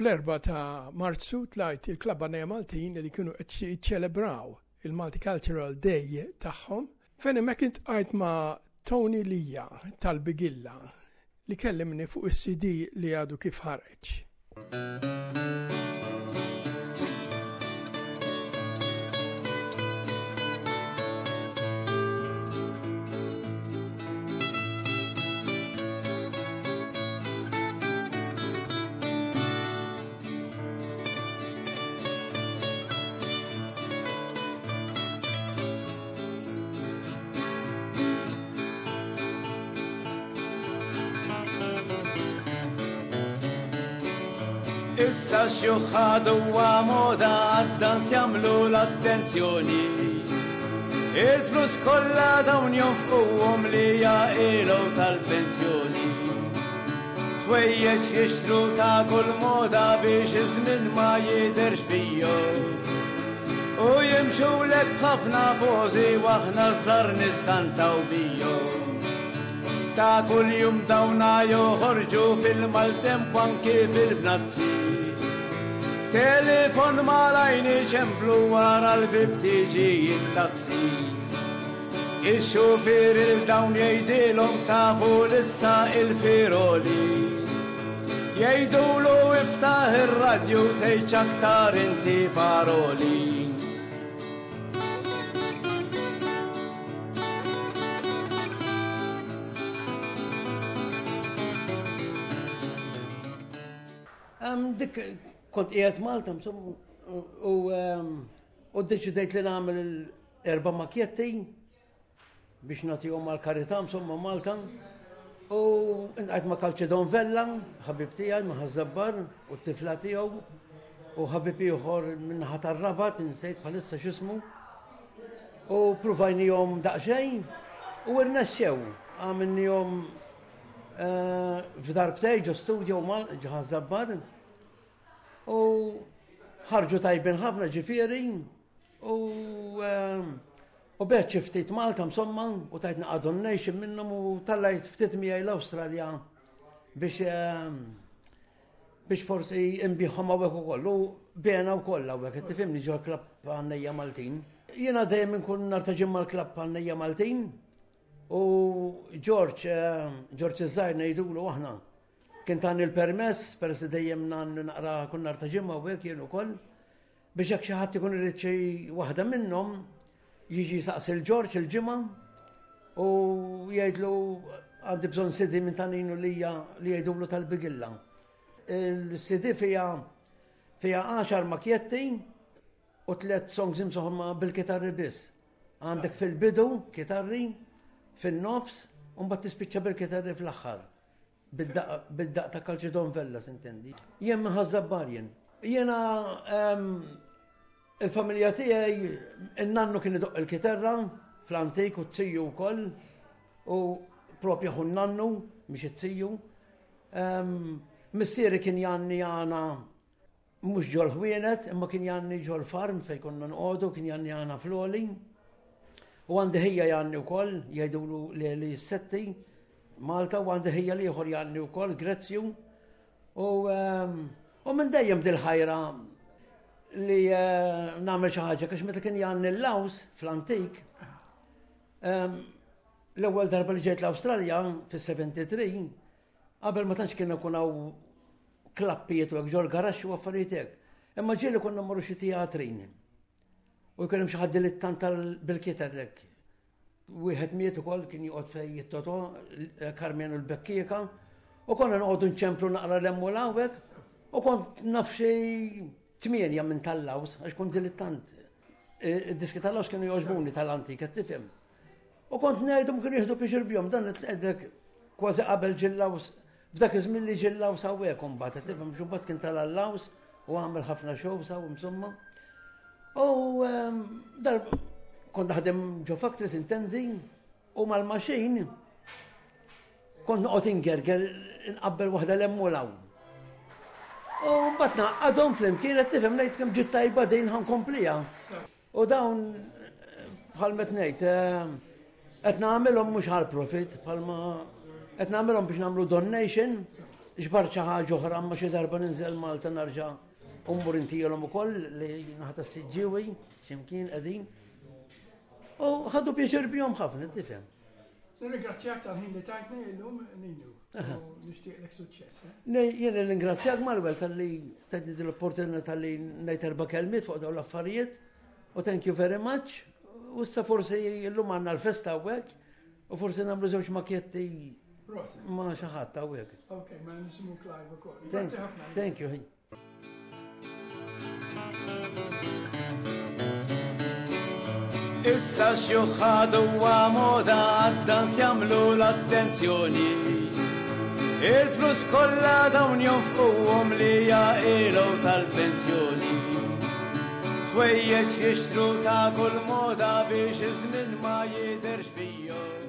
Fl-4 ta' Marzu tlajt il-Klabb Għannejja Maltin li kienu qed jiċċelebraw il-Multicultural Day tagħhom fejn hemmhekk iltqajt ma' Tony Lija tal-Bigilla li kellimni fuq is-CD li għadu kif ħareġ. Issa x-xjuħ huwa moda għad-dans jagħmlu l-attenzjoni. Il-flus kollha dawn jonfquhom li jaqilgħu tal-pensjoni. Ħwejjeġ jixtru ta' kull moda biex iż-żmien ma jidherx fihom. U jimxulek b'ħafna pożi u aħna ż-żgħar niskantaw bihom. Ta' kuljum dawna joħorġu fil-maltemp u anki fil-bnazzi. Telefon malajn iċemplu wara l-bieb tiġi t-taxi. Ix-xufier 'il dawn jgħidilhom tafu l-issa il-firoli. Jgħidulu iftaħ ir-radju tgħidx aktar inti paroli. Dik kont qiegħed Malta insomma u u ddeċidejt li nagħmel Erba' makjetti biex nagħtihom għall-karità insomma Malta. U inqajt ma' Calcedon Vella, ħabib tiegħi ma' Ħaż-Żabbar u t-tifla tiegħu u ħabib ieħor min-naħa tar-Rabat, insejt bħalissa x'ismu. U pruvajnihom daqsxejn u irnexxew. Għamilnihom eh, f'darbtej ġo studio ġo Ħaż-Żabbar. U ħarġu tajbin ħafna ġifieri U ehm, u beħt xi ftit Malta insomma u tajt naqa' donation minnhom u tallajt ftit miegħi l-Awstralja biex ehm, biex forsi nbiħhom hawnhekk ukoll u bena wkoll hawnhekk qed tifhimni ġol klabb għannejja Maltin. Jiena dejjem inkun nhar ta' ġimgħa l-klabb għannejja Maltin u George ehm, George iż-żgħir ngħidulu aħna kien tani l-permess peress li dejjem naqra kull nhar ta' ġimgħa hawnhekk jien ukoll. Biex jekk xi ħadd ikun irid xi waħda minnhom, jiġi jsaqsi l Ġorġ il-ġimgħa u jgħidlu għandi bżonn CD minn ta' Ninu Lija li jgħidulu tal-Bigilla. Il-CD fiha fiha għaxar makjetti u tliet songs imsoħma bil-kitarri biss. Għandek fil-bidu kitarri, fin-nofs, u mbagħad tispiċċa bil-kitarri fl-aħħar. Bid-daqq ta' Calcedon Vella, sintendi. Jien minn Ħaż-Żabbar jien. Jiena ehm, il-familja tiegħi in-nannu kien idoqq il-kiterra fl-antik u t-tiju wkoll u propja ħu nannu mhix it-tiju. Ehm, missieri kien janni għana Mhux ġol-ħwienet, imma kien jgħanni ġol-farm fejn konna noqogħdu, kien jgħanni għana fl-għoli. U għandi ħija jgħanni wkoll, jgħidulu Leli Setti, Malta, u għandi ħija l-ieħor jgħanni wkoll, Grezzju. U, ehm, u minn dejjem dil-ħajra li eh, nagħmel xi ħaġa, għax meta kien jgħanni l-laws fl-antik, ehm, l-ewwel darba li ġejt l-Awstralja fis-73, Qabel ma tantx kien ikun hawn klappijiet u hekk ġol garaxx u affarijiet hekk. Imma ġieli konna mmorru xi teatrin. U jkun hemm xi ħadd dilittant bil-kiter hekk. Wieħed miet ukoll kien joqgħod fejn jittoto Karmenu l-Bekkieka. U konna noqogħdu nċemplu naqra l-hemm u l-hawnhekk. U kont naf xi tmienja minn tal-laws għax kont dilittant. Id-diski tal-laws kienu jogħġbuni tal-antik, qed tifhem. U kont ngħidhom kienu jieħdu pixir bihom dan qed ngħidlek kważi qabel ġillaws f'dak iż-żmien li ġillaws hawnhekk imbagħad qed tifhem xi kien tal-allaws u għamel ħafna shows hawn insomma. U ehm, dar kont naħdem ġo factories intendi u mal-maxin kont noqgħod ingerger nqabbel waħda l-hemm u l-hawn. U mbagħad naqgħadhom flimkien qed tifhem ngħid kemm ġiet tajba din ħankompliha. U dawn bħal met ngħid eh, qed nagħmilhom mhux għal profit bħalma qed nagħmilhom biex nagħmlu donation. Ġbart xi ħaġa oħra imma xi darba ninżel Malta narġa' u mmur intielhom ukoll li naħa tas-Siġġiewi x'imkien qegħdin. U ħadu pjaċir bihom ħafna, tifhem. Nirringrazzjak tal-ħin li tajtni illum Ninu. U nixtieqlek suċċess. Eh? Jien nirringrazzjak Manuel tal-li tajtni din l-opportunità tal-li ngħid erba' kelmiet fuq dawn l-affarijiet. U thank you very much. U issa forsi illum għandna l-festa hawnhekk u forsi nagħmlu żewġ makjetti ma' xi ħadd hawnhekk. Ok, ma nisimgħu live ukoll. Grazzi ħafna. Thank you. Issa xjuħad huwa moda għad-dans jagħmlu l-attenzjoni. Il-flus kollha dawn jonfquhom li jaqilgħu tal-pensjoni. Ħwejjeġ jixtru ta' kull moda biex iż-żmien ma jidherx fihom.